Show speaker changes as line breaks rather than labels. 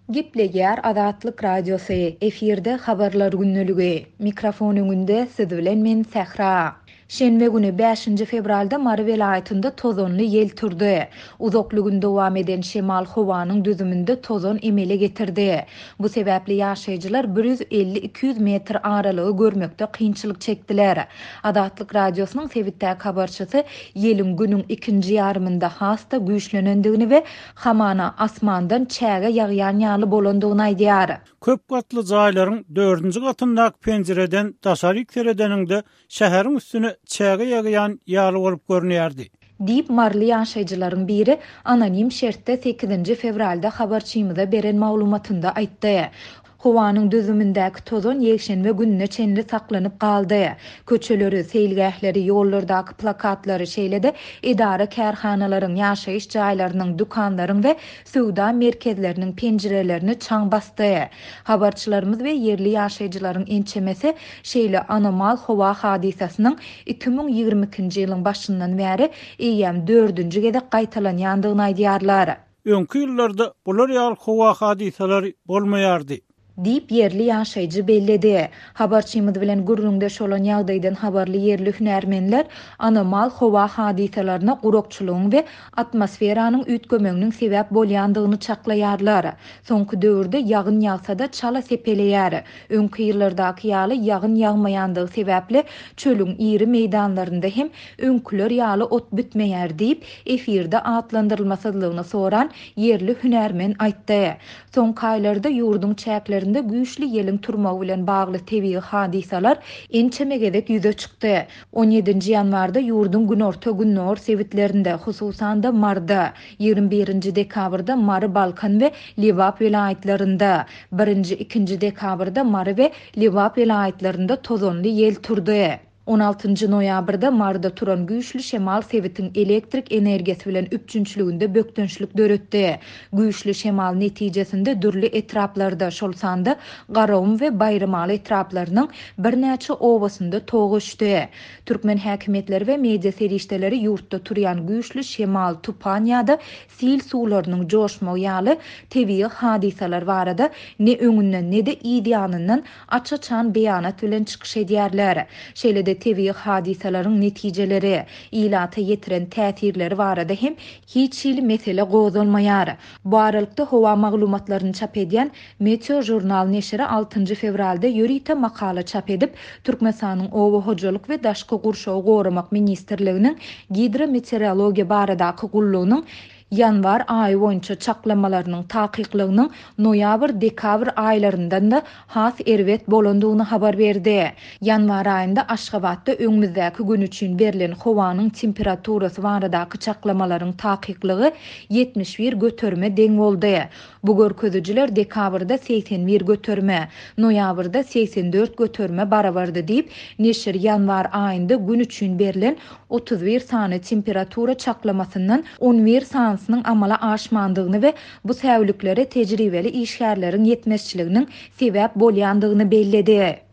Gepleýär Azatlyk Radiosy, efirde Habarlar gündeligi. Mikrofon öňünde siz bilen men Sähra. Şenbe güni, bäşinji fewralda Mary welaýatynda tozanly ýel turdy. Uzakly gün dowam eden şemal howanyň düzüminde tozan emele getirdi. Bu sebäpli ýaşaýjylar bir 150-200 metr aralygy görmekde kynçylyk çekdiler. Azatlyk Radiosynyň sebitdäki habarçysy ýeliň günüň ikinji ýarymynda has-da güýçlenendigini we hamana asmandan çäge ýagýan ýaly bolandygyny aýdýar.
Köp gatly jaýlaryň dördünji gatyndaky penjireden daşaryk seredeniňde şäheriň üstüne çäge ýagýan ýaly bolup görünýärdi.
Diýip, maryly ýaşaýjylaryň biri anonim şertde sekizinji fewralda habarçymyza beren maglumatynda aýtdy. Howanyň düzümindäki tozan ýekşenbe gününe çenli saklanyp galdy. Köçeleri, seýilgähleri, ýollardaky plakatlary, şeýle-de edara-kärhanalaryň, ýaşaýyş jaýlarynyň, dükanlaryň we söwda merkezleriniň penjirelerini çaň basdy. Habarçylarymyz we ýerli ýaşaýjylaryň ençemesi şeýle anomal howa hadysasynyň 2022-nji ýylyň başyndan bäri eýýäm dördünji gezek gaýtalanýandygyny aýdýarlar.
Öňki ýyllarda bular ýaly howa hadysalary bolmaýardy.
Diýip, ýerli ýaşaýjy belledi. Habarçymyz bilen gürrüňdeş bolan ýagdaýdan habarly ýerli hünärmenler anomal howa hadysalaryna gurakçylygyň we atmosferanyň üýtgemeginiň sebäp bolýandygyny çaklaýarlar. Soňky döwürde ýagyn ýagsa-da çala sepeleýär. Öňki ýyllardaky ýaly ýagyn ýagmaýandygy sebäpli çölüň iri meýdanlarynda hem öňküler ýaly ot bitmeýär diýip, efirde atlandyrylmasyzlygyny soran ýerli hünärmen aýtdy. Soňky aýlarda ýurduň çäklerinde güýçli ýeliň turmagy bilen bagly tebigy hadysalar ençeme gezek ýüze çykdy. On ýedinji ýanwarda ýurduň günorta-gündogar sebitlerinde, hususan-da, Maryda, 21 nji dekabrda Mary, Balkan we Lebap welaýatlarynda, birinji, ikinji dekabrda Mary we Lebap welaýatlarynda tozanly ýel turdy. On altynjy noýabrda Maryda turan güýçli şemal sebitiň elektrik energiýasy bilen üpjünçiliginde bökdençlik döretdi. Güýçli şemal netijesinde dürli etraplarda, şol sanda Garagum we Baýramaly etraplarynyň birnäçe obasynda tok öçdi. Türkmen häkimiýetleri we media serişdeleri ýurtda turýan güýçli şemal, tupan ýa-da sil suwlarynyň joşmagy ýaly tebigy hadysalar barada ne öňünden, ne-de yz ýanyndan aç-açan beýanat bilen çykyş edýärler. Şeýle-de tebigy hadysalaryň netijeleri, ilata ýetiren täsirleri barada hem hiç hili mesele gozgalmaýar. Bu aralykda howa maglumatlaryny çap edýän Meteožurnal neşiri altynjy fewralda ýörite makala çap edip, Türkmenistanyň Oba hojalyk we daşky gurşawy goramak ministrliginiň Gidrometeorologiýa baradaky gullugynyň ýanwar aýy boýunça çaklamalarynyň takyklygynyň noýabr-dekabr aýlaryndan-da has erbet bolandygyny habar berdi. Ýanwar aýynda Aşgabatda öňümizdäki gün üçin berlen howanyň temperaturasy baradaky çaklamalaryň takyklygy 71 göterime deň boldy. Bu görkezijiler dekabrda 81 göterime, noýabrda 84 göterime barabardy diýip, neşir ýanwar aýynda gün üçin berlen 31 sany temperatura çaklamasyndan on bir sanysynyň amala aşmandygyny we bu säwliklere tejribeli işgärleriň ýetmezçiliginiň sebäp bolýandygyny belledi.